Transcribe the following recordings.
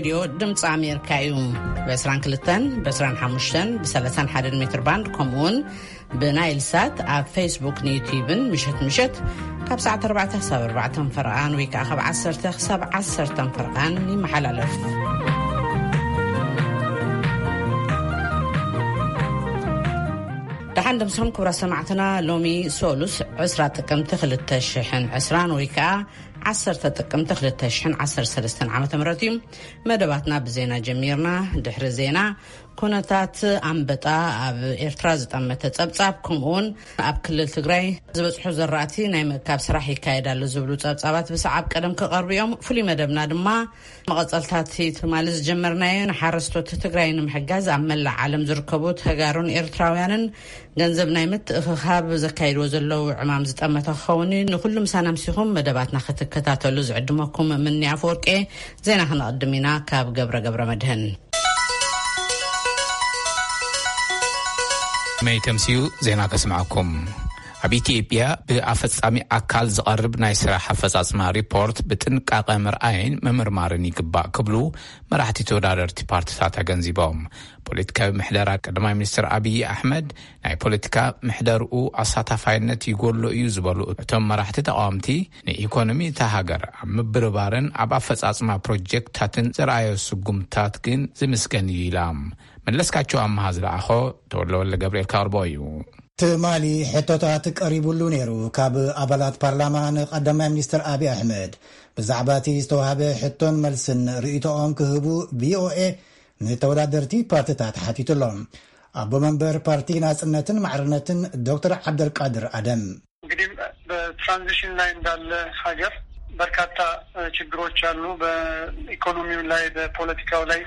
ሬድዮ ድምፂ ኣሜሪካ እዩ። ብ22፣ ብ25፣ ብ31 ሜትር ባንድ፣ ከምኡውን ብናይል ሳት ኣብ ፌስቡክ ንዩትዩብን ምሸት ምሸት ካብ ሰዓት ኣርባዕተ ክሳብ ኣርባዕተ ፈርቓን ወይ ከዓ ካብ ዓሰርተ ክሳብ ዓሰርተ ፈርቓን ይመሓላለፍ። ደሓን ደምሶም ክቡራት ሰማዕትና፣ ሎሚ ሶሉስ ዕስራ ጥቅምቲ ክልተ ሽሕን ዕስራን ወይ ከዓ ዓሰርተ ጥቅምቲ ክልተ ሽሕን ዓሰርተ ሰለስተን ዓመተ ምህረት እዩ። መደባትና ብዜና ጀሚርና። ድሕሪ ዜና፣ ኩነታት ኣንበጣ ኣብ ኤርትራ ዝጠመተ ጸብጻብ፣ ከምኡውን ኣብ ክልል ትግራይ ዝበጽሑ ዘራእቲ ናይ ምእካብ ስራሕ ይካየድ ኣሎ ዝብሉ ጸብጻባት ብሰዓብ ቀደም ክቐርቡ እዮም። ፍሉይ መደብና ድማ መቐጸልታት ትማሊ ዝጀመርናዮ ንሓረስቶት ትግራይ ንምሕጋዝ ኣብ መላእ ዓለም ዝርከቡ ተጋሩን ኤርትራውያንን ገንዘብ ናይ ምትእኽኻብ ዘካይድዎ ዘለዉ ዕማም ዝጠመተ ክኸውን እዩ። ንኹሉ ምሳና ምሲኹም መደባትና ክትከታተሉ ዝዕድመኩም ምኒ ኣፈወርቄ። ዜና ክነቕድም ኢና ካብ ገብረ ገብረ መድህን። መይ ተምስዩ ዜና ከስምዓኩም። ኣብ ኢትዮጵያ ብኣፈጻሚ ኣካል ዝቐርብ ናይ ስራሕ ኣፈጻጽማ ሪፖርት ብጥንቃቐ ምርኣይን ምምርማርን ይግባእ ክብሉ መራሕቲ ተወዳደርቲ ፓርቲታት ኣገንዚቦም። ፖለቲካዊ ምሕደራ ቀዳማይ ሚኒስትር ኣብይ ኣሕመድ ናይ ፖለቲካ ምሕደርኡ ኣሳታፋይነት ይጎሎ እዩ ዝበሉ እቶም መራሕቲ ተቃወምቲ፣ ንኢኮኖሚ እታ ሃገር ኣብ ምብርባርን ኣብ ኣፈጻጽማ ፕሮጀክታትን ዝረኣዮ ስጉምታት ግን ዝምስገን እዩ ኢላ። መለስካቸው ኣመሃ ዝለኣኾ፣ ተወልደ ወልደ ገብርኤል ከቕርቦ እዩ። ትማሊ ሕቶታት ቀሪቡሉ ነይሩ። ካብ ኣባላት ፓርላማ ንቀዳማይ ሚኒስትር ኣብይ ኣሕመድ ብዛዕባ እቲ ዝተዋህበ ሕቶን መልስን ርእይቶኦም ክህቡ ቪኦኤ ንተወዳደርቲ ፓርቲታት ሓቲቱ ኣሎ። ኣቦ መንበር ፓርቲ ናጽነትን ማዕርነትን ዶክተር ዓብደልቃድር ኣደም። እንግዲህ በትራንዚሽን ላይ እንዳለ ሀገር በርካታ ችግሮች አሉ። በኢኮኖሚው ላይ፣ በፖለቲካው ላይ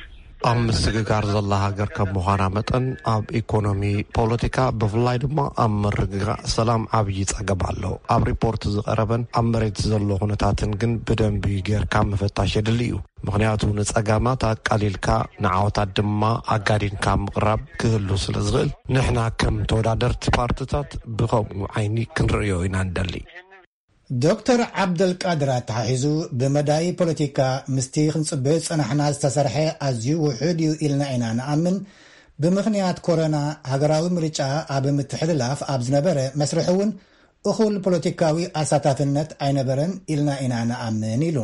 ኣብ ምስግጋር ዘላ ሃገር ከም ምዃና መጠን፣ ኣብ ኢኮኖሚ፣ ፖለቲካ፣ ብፍላይ ድማ ኣብ ምርግጋእ ሰላም ዓብዪ ጸገም ኣሎ። ኣብ ሪፖርት ዝቐረበን ኣብ መሬት ዘሎ ኩነታትን ግን ብደንቢ ጌርካ ምፍታሽ የድሊ እዩ። ምኽንያቱ ንጸጋማት ኣቃሊልካ ንዓወታት ድማ ኣጋዲንካ ምቕራብ ክህሉ ስለ ዝኽእል፣ ንሕና ከም ተወዳደርቲ ፓርትታት ብኸምኡ ዓይኒ ክንርእዮ ኢና ንደሊ። ዶክተር ዓብደልቃድር ኣተሓሒዙ፣ ብመዳይ ፖለቲካ ምስቲ ክንጽበዮ ዝጸናሕና ዝተሰርሐ ኣዝዩ ውሑድ እዩ ኢልና ኢና ንኣምን። ብምኽንያት ኮሮና ሃገራዊ ምርጫ ኣብ ምትሕልላፍ ኣብ ዝነበረ መስርሕ እውን እኹል ፖለቲካዊ ኣሳታፍነት ኣይነበረን ኢልና ኢና ንኣምን ኢሉ።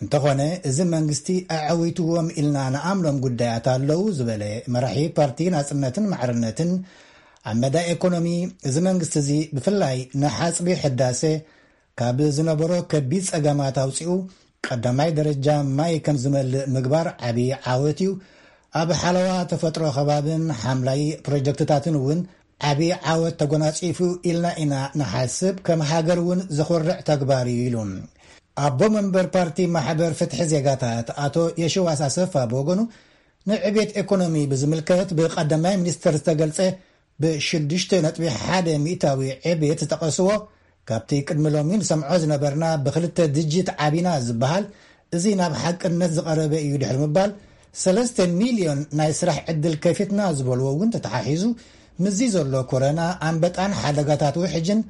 እንተኾነ፣ እዚ መንግስቲ ኣዐዊትዎም ኢልና ንኣምኖም ጉዳያት ኣለዉ ዝበለ መራሒ ፓርቲ ናጽነትን ማዕርነትን፣ ኣብ መዳይ ኤኮኖሚ እዚ መንግስቲ እዚ ብፍላይ ንሓጽቢ ሕዳሴ ካብ ዝነበሮ ከቢድ ጸገማት ኣውጺኡ ቀዳማይ ደረጃ ማይ ከም ዝመልእ ምግባር ዓቢ ዓወት እዩ። ኣብ ሓለዋ ተፈጥሮ ከባብን ሓምላይ ፕሮጀክትታትን እውን ዓቢ ዓወት ተጎናጺፉ ኢልና ኢና ንሓስብ። ከም ሃገር እውን ዘኹርዕ ተግባር እዩ ኢሉ። ኣቦ መንበር ፓርቲ ማሕበር ፍትሒ ዜጋታት ኣቶ የሽዋስ ኣሰፋ ብወገኑ፣ ንዕቤት ኤኮኖሚ ብዝምልከት ብቀዳማይ ሚኒስትር ዝተገልጸ ብ6.1% ዕቤት ዝጠቐስዎ፣ ካብቲ ቅድሚ ሎሚ ንሰምዖ ዝነበርና ብክልተ ድጅት ዓቢና ዝበሃል፣ እዚ ናብ ሓቅነት ዝቐረበ እዩ ድሕሪ ምባል፣ ሰለስተ ሚልዮን ናይ ስራሕ ዕድል ከፊትና ዝበልዎ እውን ተተሓሒዙ፣ ምስዚ ዘሎ ኮረና፣ ኣንበጣን ሓደጋታት ውሕጅን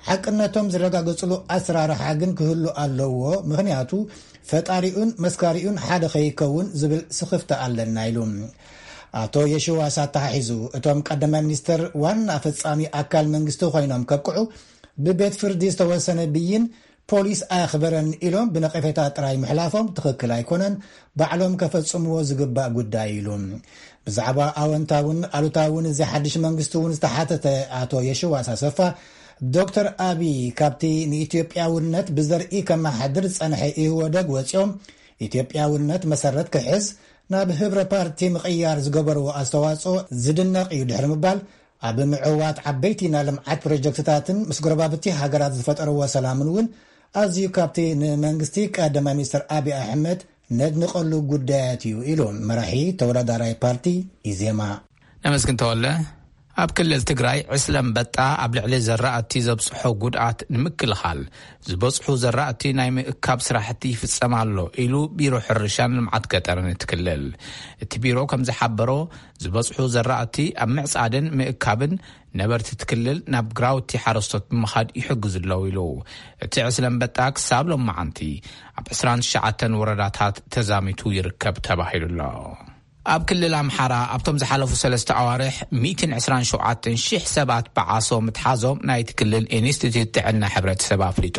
ሓቅነቶም ዝረጋገጽሉ ኣሰራርሓ ግን ክህሉ ኣለዎ፣ ምኽንያቱ ፈጣሪኡን መስካሪኡን ሓደ ከይከውን ዝብል ስኽፍታ ኣለና ኢሉ። ኣቶ የሽዋስ ኣተሓሒዙ፣ እቶም ቀዳማይ ሚኒስተር ዋና ፈጻሚ ኣካል መንግስቲ ኮይኖም ከብቅዑ ብቤት ፍርዲ ዝተወሰነ ብይን ፖሊስ ኣየኽበረን ኢሎም ብነቐፌታ ጥራይ ምሕላፎም ትኽክል ኣይኮነን፣ ባዕሎም ከፈጽምዎ ዝግባእ ጉዳይ ኢሉ። ብዛዕባ ኣወንታውን ኣሉታውን እዚ ሓድሽ መንግስቲ እውን ዝተሓተተ ኣቶ የሽዋስ ኣሰፋ፣ ዶክተር ኣቢ ካብቲ ንኢትዮጵያውነት ብዘርኢ ከመሓድር ዝጸንሐ ኢህወደግ ወጺኦም ኢትዮጵያውነት መሰረት ክሕዝ ናብ ህብረ ፓርቲ ምቕያር ዝገበርዎ ኣስተዋጽኦ ዝድነቕ እዩ ድሕሪ ምባል፣ ኣብ ምዕዋት ዓበይቲ ናይ ልምዓት ፕሮጀክትታትን ምስ ጎረባብቲ ሃገራት ዝፈጠርዎ ሰላምን እውን ኣዝዩ ካብቲ ንመንግስቲ ቀዳማይ ሚኒስትር ኣቢ ኣሕመድ ነድንቐሉ ጉዳያት እዩ ኢሉ መራሒ ተወዳዳራይ ፓርቲ ኢዜማ። ነመስግን ተወለ። ኣብ ክልል ትግራይ ዕስለ ኣንበጣ ኣብ ልዕሊ ዘራእቲ ዘብፅሖ ጉድኣት ንምክልኻል ዝበፅሑ ዘራእቲ ናይ ምእካብ ስራሕቲ ይፍፀም ኣሎ ኢሉ ቢሮ ሕርሻን ልምዓት ገጠርን እቲ ክልል። እቲ ቢሮ ከም ዝሓበሮ፣ ዝበፅሑ ዘራእቲ ኣብ ምዕፃድን ምእካብን ነበርቲ እቲ ክልል ናብ ግራውቲ ሓረስቶት ብምኻድ ይሕግዙ ኣለዉ ኢሉ። እቲ ዕስለ ኣንበጣ ክሳብ ሎማዓንቲ ኣብ ዕስራን ትሽዓተን ወረዳታት ተዛሚቱ ይርከብ ተባሂሉ ኣሎ። ኣብ ክልል ኣምሓራ ኣብቶም ዝሓለፉ ሰለስተ ኣዋርሕ ሚእትን ዕስራን ሸውዓተን ሽሕ ሰባት ብዓሶ ምትሓዞም ናይቲ ክልል ኢንስቲትዩት ጥዕና ሕብረተሰብ ኣፍሊጡ።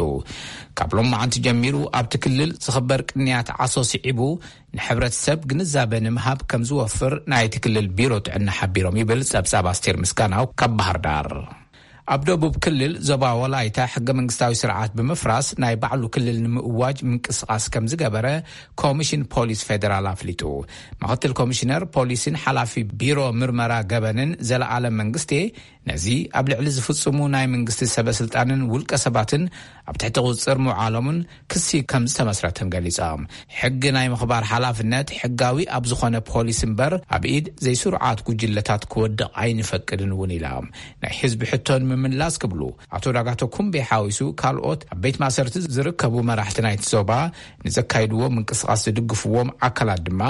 ካብ ሎማዓንቲ ጀሚሩ ኣብቲ ክልል ዝኽበር ቅንያት ዓሶ ስዒቡ ንሕብረተሰብ ግንዛበ ንምሃብ ከም ዝወፍር ናይቲ ክልል ቢሮ ጥዕና ሓቢሮም ይብል ጸብጻብ ኣስቴር ምስጋናው ካብ ባህር ዳር። ኣብ ደቡብ ክልል ዞባ ወላይታ ሕገ መንግስታዊ ስርዓት ብምፍራስ ናይ ባዕሉ ክልል ንምእዋጅ ምንቅስቃስ ከም ዝገበረ ኮሚሽን ፖሊስ ፌደራል ኣፍሊጡ። ምክትል ኮሚሽነር ፖሊስን ሓላፊ ቢሮ ምርመራ ገበንን ዘለኣለም መንግስቴ ነዚ ኣብ ልዕሊ ዝፍጽሙ ናይ መንግስቲ ሰበ ስልጣንን ውልቀ ሰባትን ኣብ ትሕቲ ቁጽጽር ምውዓሎምን ክሲ ከም ዝተመስረተን ገሊጾም። ሕጊ ናይ ምኽባር ሓላፍነት ሕጋዊ ኣብ ዝኾነ ፖሊስ እምበር ኣብ ኢድ ዘይስሩዓት ጉጅለታት ክወድቕ ኣይንፈቅድን እውን ኢሎም። ናይ ህዝቢ ሕቶ ንምምላስ ክብሉ ኣቶ ዳጋቶ ኩምቤ ሓዊሱ ካልኦት ኣብ ቤት ማእሰርቲ ዝርከቡ መራሕቲ ናይቲ ዞባ ንዘካይድዎ ምንቅስቃስ ዝድግፍዎም ኣካላት ድማ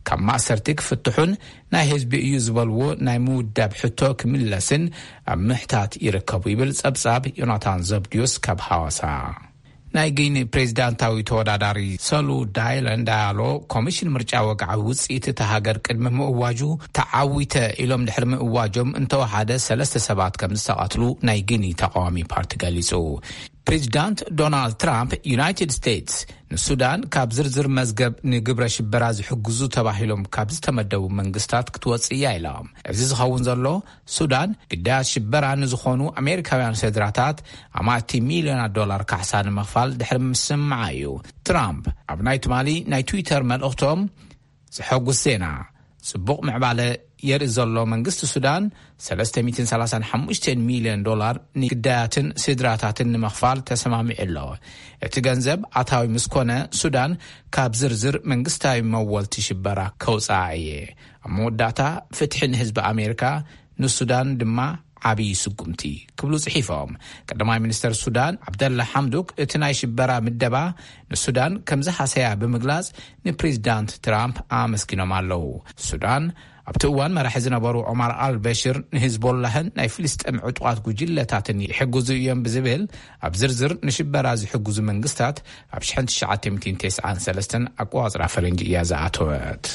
ካብ ማእሰርቲ ክፍትሑን ናይ ህዝቢ እዩ ዝበልዎ ናይ ምውዳብ ሕቶ ክምለስን ኣብ ምሕታት ይርከቡ ይብል ጸብጻብ ዮናታን ዘብድዮስ ካብ ሃዋሳ። ናይ ጊኒ ፕሬዚዳንታዊ ተወዳዳሪ ሰሉ ዳይለን ዳያሎ ኮሚሽን ምርጫ ወግዓዊ ውጽኢት እታ ሃገር ቅድሚ ምእዋጁ ተዓዊተ ኢሎም ድሕሪ ምእዋጆም እንተወሓደ ሰለስተ ሰባት ከም ዝተቐትሉ ናይ ጊኒ ተቃዋሚ ፓርቲ ገሊጹ። ፕሬዚዳንት ዶናልድ ትራምፕ ዩናይትድ ስቴትስ ንሱዳን ካብ ዝርዝር መዝገብ ንግብረ ሽበራ ዝሕግዙ ተባሂሎም ካብ ዝተመደቡ መንግስታት ክትወጽእ እያ ኢሎም። እዚ ዝኸውን ዘሎ ሱዳን ግዳያት ሽበራ ንዝኾኑ ኣሜሪካውያን ስድራታት ኣማእቲ ሚልዮናት ዶላር ካሕሳ ንምኽፋል ድሕሪ ምስምዓ እዩ። ትራምፕ ኣብ ናይ ትማሊ ናይ ትዊተር መልእኽቶም ዘሐጉስ ዜና፣ ጽቡቕ ምዕባለ የርኢ ዘሎ መንግስቲ ሱዳን ሰለስተ ሚእትን ሰላሳን ሓሙሽተን ሚልዮን ዶላር ንግዳያትን ስድራታትን ንምኽፋል ተሰማሚዑ ኣሎ። እቲ ገንዘብ ኣታዊ ምስ ኮነ ሱዳን ካብ ዝርዝር መንግስታዊ መወልቲ ሽበራ ከውፅኣ እየ። ኣብ መወዳእታ ፍትሒ ንህዝቢ ኣሜሪካ ንሱዳን ድማ ዓብዪ ስጉምቲ ክብሉ ጽሒፎም። ቀዳማይ ሚኒስተር ሱዳን ዓብደላ ሓምዱክ እቲ ናይ ሽበራ ምደባ ንሱዳን ከም ዝሃሰያ ብምግላጽ ንፕሬዚዳንት ትራምፕ ኣመስጊኖም ኣለዉ። ሱዳን ኣብቲ እዋን መራሒ ዝነበሩ ዑማር ኣልበሽር ንሂዝቦላህን ናይ ፍልስጤም ዕጡቓት ጉጅለታትን ይሕግዙ እዮም ብዝብል ኣብ ዝርዝር ንሽበራ ዝሕግዙ መንግስታት ኣብ ሽሕን ትሽዓተ ሚእትን ተስዓን ሰለስተን ኣቆጻጽራ ፈረንጂ እያ ዝኣተወት።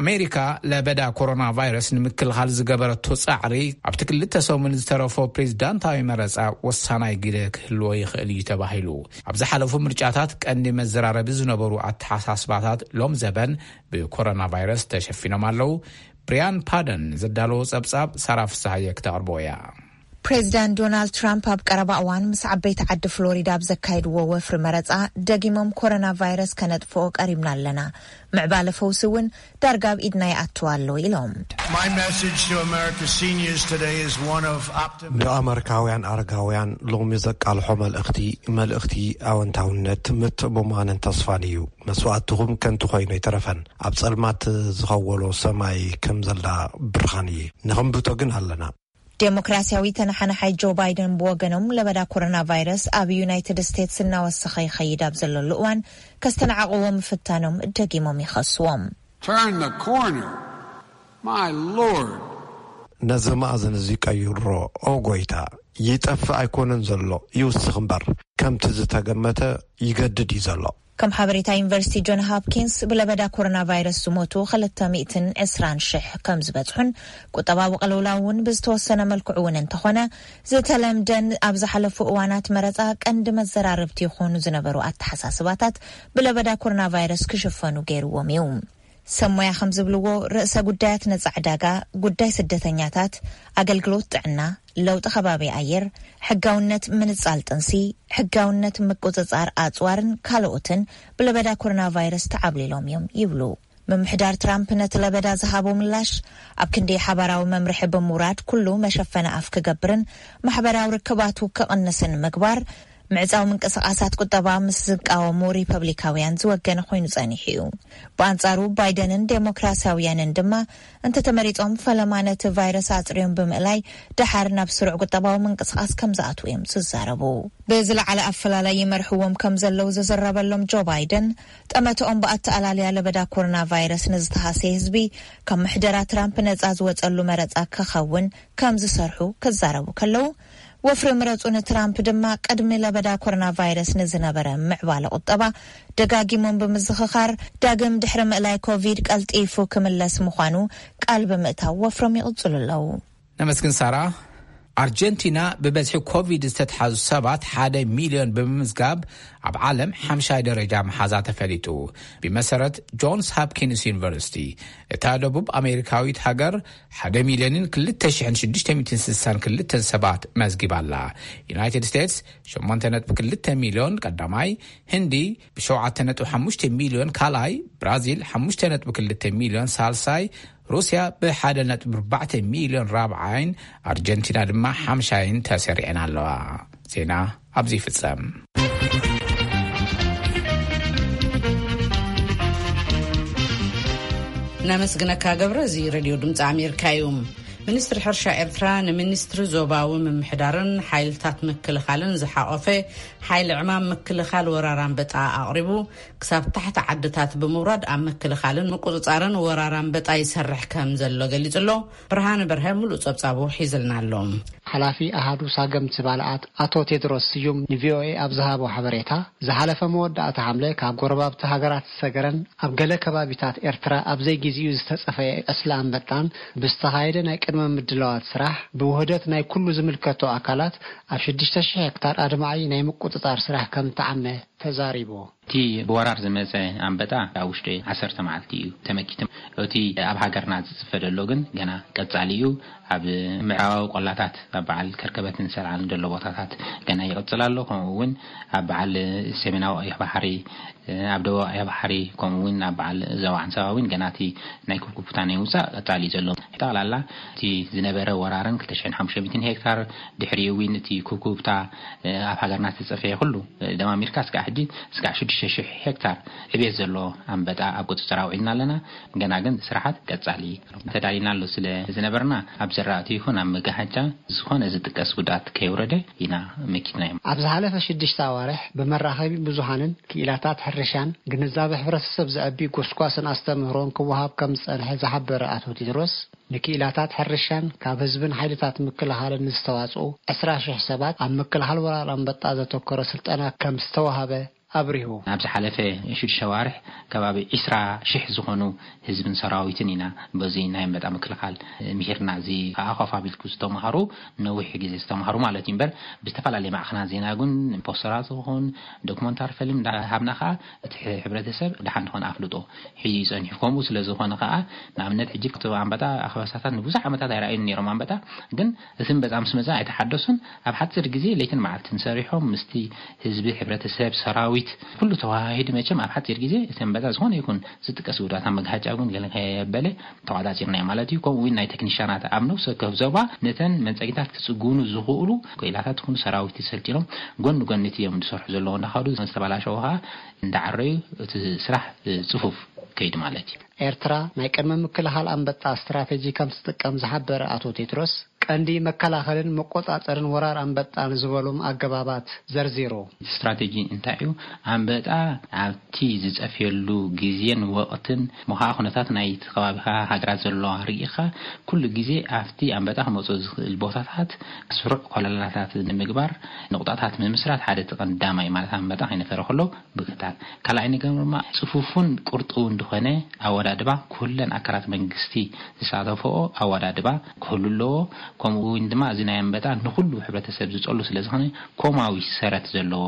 ኣሜሪካ ለበዳ ኮሮና ቫይረስ ንምክልኻል ዝገበረቶ ጻዕሪ ኣብቲ ክልተ ሰሙን ዝተረፎ ፕሬዚዳንታዊ መረጻ ወሳናይ ግደ ክህልዎ ይኽእል እዩ ተባሂሉ። ኣብ ዝሓለፉ ምርጫታት ቀንዲ መዘራረቢ ዝነበሩ ኣተሓሳስባታት ሎም ዘበን ብኮሮና ቫይረስ ተሸፊኖም ኣለዉ። ብሪያን ፓደን ዘዳለዎ ጸብጻብ ሳራ ፍስሃየ ክተቕርቦ እያ። ፕሬዚዳንት ዶናልድ ትራምፕ ኣብ ቀረባ እዋን ምስ ዓበይቲ ዓዲ ፍሎሪዳ ኣብ ዘካየድዎ ወፍሪ መረጻ ደጊሞም ኮሮና ቫይረስ ከነጥፍኦ ቀሪብና ኣለና፣ ምዕባለ ፈውሲ እውን ዳርጋ ኣብ ኢድና ይኣቱ ኣሎ ኢሎም። My message to America's seniors today is one of optimism. ንኣመሪካውያን ኣረጋውያን ሎሚ ዘቃልሖ መልእኽቲ፣ መልእኽቲ ኣወንታውነት፣ ምትእምማንን ተስፋን እዩ። መስዋእትኹም ከንቱ ኮይኑ ኣይተረፈን። ኣብ ጸልማት ዝኸወሎ ሰማይ ከም ዘላ ብርሃን እየ። ንኸንብቶ ግን ኣለና። ዴሞክራሲያዊ ተነሓናሓይ ጆ ባይደን ብወገኖም ለበዳ ኮሮና ቫይረስ ኣብ ዩናይትድ ስቴትስ እናወሰኸ ይኸይድ ኣብ ዘለሉ እዋን ከስተናዕቕዎ ምፍታኖም ደጊሞም ይኸስዎም። Turn the corner. My Lord. ነዚ መኣዝን እዚ ቀይሮ፣ ኦ ጎይታ፣ ይጠፍእ ኣይኮነን ዘሎ፣ ይውስኽ እምበር፣ ከምቲ ዝተገመተ ይገድድ እዩ ዘሎ። ከም ሓበሬታ ዩኒቨርሲቲ ጆን ሃፕኪንስ ብለበዳ ኮሮና ቫይረስ ዝሞቱ ክልተ ሚእትን ዕስራን ሽሕ ከም ዝበጽሑን ቁጠባዊ ቅልውላው እውን ብዝተወሰነ መልክዑ እውን እንተኾነ ዝተለምደን ኣብ ዝሓለፉ እዋናት መረጻ ቀንዲ መዘራረብቲ ይኾኑ ዝነበሩ ኣተሓሳስባታት ብለበዳ ኮሮና ቫይረስ ክሽፈኑ ገይርዎም እዩ። ሰብ ሞያ ከም ዝብልዎ ርእሰ ጉዳያት ነጻ ዕዳጋ፣ ጉዳይ ስደተኛታት፣ ኣገልግሎት ጥዕና፣ ለውጢ ከባቢ ኣየር፣ ሕጋውነት ምንጻል ጥንሲ፣ ሕጋውነት ምቁጽጻር ኣጽዋርን ካልኦትን ብለበዳ ኮሮና ቫይረስ ተዓብሊሎም እዮም ይብሉ። ምምሕዳር ትራምፕ ነቲ ለበዳ ዝሃቦ ምላሽ ኣብ ክንዲ ሓባራዊ መምርሒ ብምውራድ ኩሉ መሸፈኒ ኣፍ ክገብርን ማሕበራዊ ርክባቱ ክቕንስን ምግባር ምዕጻው ምንቅስቓሳት ቁጠባ ምስ ዝቃወሙ ሪፐብሊካውያን ዝወገነ ኮይኑ ጸኒሑ እዩ። ብኣንጻሩ ባይደንን ዴሞክራሲያውያንን ድማ እንተተመሪጾም ፈለማ ነቲ ቫይረስ ኣጽርዮም ብምእላይ ደሓር ናብ ስሩዕ ቁጠባዊ ምንቅስቓስ ከም ዝኣትዉ እዮም ዝዛረቡ። ብዝለዓለ ኣፈላላይ ይመርሕዎም ከም ዘለዉ ዝዝረበሎም ጆ ባይደን፣ ጠመተኦም ብኣተኣላልያ ለበዳ ኮሮና ቫይረስ ንዝተሃሰየ ህዝቢ ካብ ምሕደራ ትራምፕ ነጻ ዝወጸሉ መረጻ ክኸውን ከም ዝሰርሑ ክዛረቡ ከለዉ፣ ወፍሪ ምረጹ ንትራምፕ ድማ ቅድሚ ለበዳ ኮሮና ቫይረስ ንዝነበረ ምዕባለ ቁጠባ ደጋጊሞም ብምዝኽኻር፣ ዳግም ድሕሪ ምእላይ ኮቪድ ቀልጢፉ ክምለስ ምዃኑ ቃል ብምእታው ወፍሮም ይቕጽሉ ኣለዉ። ነመስግን ሳራ። ኣርጀንቲና ብበዝሒ ኮቪድ ዝተትሓዙ ሰባት ሓደ ሚልዮን ብምምዝጋብ ኣብ ዓለም ሓምሻይ ደረጃ ምሓዛ ተፈሊጡ። ብመሰረት ጆንስ ሃፕኪንስ ዩኒቨርሲቲ፣ እታ ደቡብ ኣሜሪካዊት ሃገር ሓደ ሚልዮንን ክልተ ሽሕን ሽዱሽተ ሚእትን ስሳን ክልተን ሰባት መዝጊባ ኣላ። ዩናይትድ ስቴትስ ሸሞንተ ነጥቢ ክልተ ሚልዮን ቀዳማይ፣ ህንዲ ብሸውዓተ ነጥቢ ሓሙሽተ ሚልዮን ካልኣይ፣ ብራዚል ሓሙሽተ ነጥቢ ክልተ ሚልዮን ሳልሳይ፣ ሩስያ ብሓደ ነጥቢ ኣርባዕተ ሚልዮን ራብዓይን ኣርጀንቲና ድማ ሓምሻይን ተሰሪዐን ኣለዋ። ዜና ኣብዚ ይፍጸም። ነመስግነካ ገብረ። እዚ ሬድዮ ድምፂ ኣሜሪካ እዩ። ሚኒስትሪ ሕርሻ ኤርትራ ንሚኒስትሪ ዞባዊ ምምሕዳርን ሓይልታት ምክልኻልን ዝሓቆፈ ሓይሊ ዕማም ምክልኻል ወራር ኣንበጣ ኣቕሪቡ፣ ክሳብ ታሕቲ ዓድታት ብምውራድ ኣብ ምክልኻልን ምቁጽጻርን ወራር ኣንበጣ ይሰርሕ ከም ዘሎ ገሊጹ ኣሎ። ብርሃነ በርሀ ሙሉእ ጸብጻቡ ሒዝልና ኣሎ። ሓላፊ ኣሃዱ ሳገምቲ ባልዓት ኣቶ ቴድሮስ ስዩም ንቪኦኤ ኣብ ዝሃቦ ሓበሬታ፣ ዝሓለፈ መወዳእታ ሓምለ ካብ ጎረባብቲ ሃገራት ሰገረን ኣብ ገለ ከባቢታት ኤርትራ ኣብ ዘይግዜኡ ዝተጸፈየ ዕስለ ኣንበጣን ብዝተኻየደ ናይ ቅድመ ምድላዋት ስራሕ ብውህደት ናይ ኩሉ ዝምልከቶ ኣካላት ኣብ ሽዱሽተ ሽሕ ሄክታር ኣድማዒ ናይ ምቁጽጻር ስራሕ ከም ተዓመ ተዛሪቡ። እቲ ብወራር ዝመጸ ኣንበጣ ኣብ ውሽጢ ዓሰርተ መዓልቲ እዩ ተመኪቱ። እቲ ኣብ ሃገርና ዝጽፈ ዘሎ ግን ገና ቀጻሊ እዩ። ኣብ ምዕራባዊ ቆላታት ኣብ በዓል ከርከበትን ሰልዓልን ዘሎ ቦታታት ገና ይቕጽል ኣሎ። ከምኡ እውን ኣብ በዓል ሰሜናዊ ቀይሕ ባሕሪ፣ ኣብ ደቡብ ቀይሕ ባሕሪ፣ ከምኡ እውን ኣብ በዓል ዞባ ዓንሰባ እውን ገና እቲ ናይ ኩብኩብታ ናይ ምውጻእ ቀጻሊ እዩ ዘሎ። ጠቕላላ እቲ ዝነበረ ወራርን ክልተ ሽሕን ሓሙሽተ ሚእትን ሄክታር፣ ድሕሪኡ እውን እቲ ኩብኩብታ ኣብ ሃገርና ዝተጸፈየ ኩሉ ደማሚርካ እስካዕ ሕጂ እስካዕ ሽዱሽተ ሽሕ ሄክታር ዕቤት ዘለዎ ኣንበጣ ኣብ ቁጽጽር ኣውዒልና ኣለና። ገና ግን ስራሓት ቀጻሊ ተዳሊና ኣሎ ስለ ዝነበርና ኣብ ዘራእቲ ይኹን ኣብ መጋሓጫ ዝኾነ ዝጥቀስ ጉድኣት ከየውረደ ኢና መኪትናዮም። ኣብ ዝሓለፈ ሽዱሽተ ኣዋርሕ ብመራኸቢ ብዙሃንን ክኢላታት ሕርሻን ግንዛበ ሕብረተሰብ ዘዕቢ ጎስጓስን ኣስተምህሮን ክወሃብ ከም ዝጸንሐ ዝሓበረ ኣቶ ቴድሮስ፣ ንክኢላታት ሕርሻን ካብ ህዝብን ሓይልታት ምክልኻልን ዝተዋጽኡ ዕስራ ሽሕ ሰባት ኣብ ምክልኻል ወራር ኣንበጣ ዘተኮረ ስልጠና ከም ዝተዋሃበ ኣብሪሁ። ኣብ ዝሓለፈ ሽዱሽተ ኣዋርሕ ከባቢ ዕስራ ሽሕ ዝኾኑ ህዝብን ሰራዊትን ኢና በዚ ናይ ኣንበጣ ምክልኻል ምሂርና። እዚ ከዓ ኮፍ ኣቢልኩ ዝተምሃሩ፣ ነዊሕ ግዜ ዝተምሃሩ ማለት እዩ። እምበር ብዝተፈላለየ ማዕኸናት ዜና ግን ፖስተራት ይኹን ዶክመንታሪ ፊልም እንዳሃብና ከዓ እቲ ሕብረተሰብ ደሓን ዝኾነ ኣፍልጦ ሒዙ ይጸኒሑ። ከምኡ ስለ ዝኾነ ከዓ ንኣብነት ሕጂ እቲ ኣንበጣ ኣኽበሳታት ንብዙሕ ዓመታት ኣይረኣዩን ነይሮም። ኣንበጣ ግን እቲ ኣንበጣ ምስ መጸ ኣይተሓደሱን። ኣብ ሓጺር ግዜ ለይትን መዓልትን ሰሪሖም ምስቲ ህዝቢ፣ ሕብረተሰብ፣ ሰራዊት ኩሉ ተዋሃሂዱ መቸም ኣብ ሓጺር ግዜ እቲ ኣንበጣ ዝኾነ ይኹን ዝጥቀስ ጉድኣት ኣብ መግሃጫ እውን ገለ ከየበለ ተቋጻጺርናዮ ማለት እዩ። ከምኡ እውን ናይ ቴክኒሻናት ኣብ ነፍሲ ወከፍ ዞባ ነተን መንጸጊታት ክጽግኑ ዝኽእሉ ክኢላታት ይኹኑ ሰራዊት ሰልጢኖም ጎኒ ጎኒ እቲ እዮም ዝሰርሑ ዘለዉ እንዳኸዱ ዝተበላሸዉ ከዓ እንዳዓረዩ እቲ ስራሕ ጽፉፍ ከይድ ማለት እዩ። ኤርትራ ናይ ቅድመ ምክልኻል ኣንበጣ ስትራቴጂ ከም ትጥቀም ዝሓበረ ኣቶ ቴድሮስ፣ ቀንዲ መከላኸልን መቆጻጸርን ወራር ኣንበጣን ዝበሎም ኣገባባት ዘርዚሩ። ስትራቴጂ እንታይ እዩ? ኣንበጣ ኣብቲ ዝጸፍየሉ ግዜን ወቕትን፣ ምዃ ኩነታት ናይቲ ከባቢኻ ሃገራት ዘለዋ ርኢኻ፣ ኩሉ ግዜ ኣብቲ ኣንበጣ ክመጾ ዝኽእል ቦታታት ስሩዕ ኮለላታት ንምግባር፣ ንቑጣታት ምምስራት ሓደ እቲ ቀንዳማይ ማለት ኣንበጣ ከይነፈረ ከሎ ብክታል። ካልኣይ ነገር ድማ ጽፉፉን ቁርጥውን ዝኾነ ኣወዳድባ፣ ኩለን ኣካላት መንግስቲ ዝሳተፈኦ ኣወዳድባ ክህሉ ኣለዎ። ከምኡ እውን ድማ እዚ ናይ ኣንበጣ ንኹሉ ሕብረተሰብ ዝጸሉ ስለ ዝኾነ፣ ኮማዊ ሰረት ዘለዎ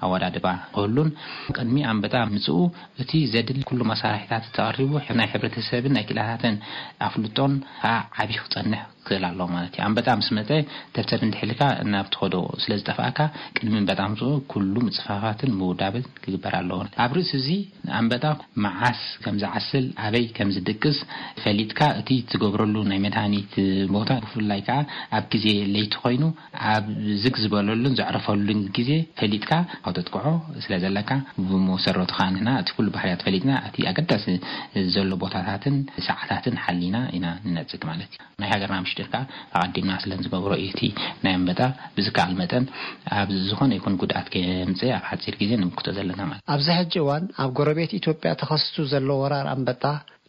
ኣወዳድባ ክህሉን፣ ቅድሚ ኣንበጣ ምጽኡ እቲ ዘድሊ ኩሉ መሳርሒታት ተቐሪቡ፣ ናይ ሕብረተሰብን ናይ ክኢላታትን ኣፍልጦን ከዓ ዓቢ ክጸንሕ ክእል ኣለዎ ማለት እዩ። ኣንበጣ ምስ መፀ፣ ተብተብ እንድሕልካ ናብ ትኸዶ ስለ ዝጠፍኣካ፣ ቅድሚ ኣንበጣ ምፅኡ ኩሉ ምፅፋፋትን ምውዳብን ክግበር ኣለዎ። ኣብ ርእሲ እዚ ኣንበጣ መዓስ ከም ዝዓስል፣ ኣበይ ከም ዝድቅስ ፈሊጥካ፣ እቲ ትገብረሉ ናይ መድሃኒት ቦታ፣ ብፍላይ ከዓ ኣብ ግዜ ለይቲ ኮይኑ ኣብ ዝግ ዝበለሉን ዘዕረፈሉን ግዜ ፈሊጥካ ካብ ተጥቅዖ ስለ ዘለካ፣ ብመሰረቱ ከዓ ንሕና እቲ ኩሉ ባህርያት ፈሊጥና፣ እቲ ኣገዳሲ ዘሎ ቦታታትን ሰዓታትን ሓሊና ኢና ንነጽግ ማለት እዩ። ናይ ሃገርና ምሽጢር ከዓ ኣቐዲምና ስለ ንዝገብሮ እዩ። እቲ ናይ ኣንበጣ ብዝከኣል መጠን ኣብ ዝኾነ ይኹን ጉድኣት ከየምጽእ ኣብ ሓጺር ግዜ ንምክቶ ዘለና ማለት እዩ። ኣብዚ ሕጂ እዋን ኣብ ጎረቤት ኢትዮጵያ ተኸሲቱ ዘሎ ወራር ኣንበጣ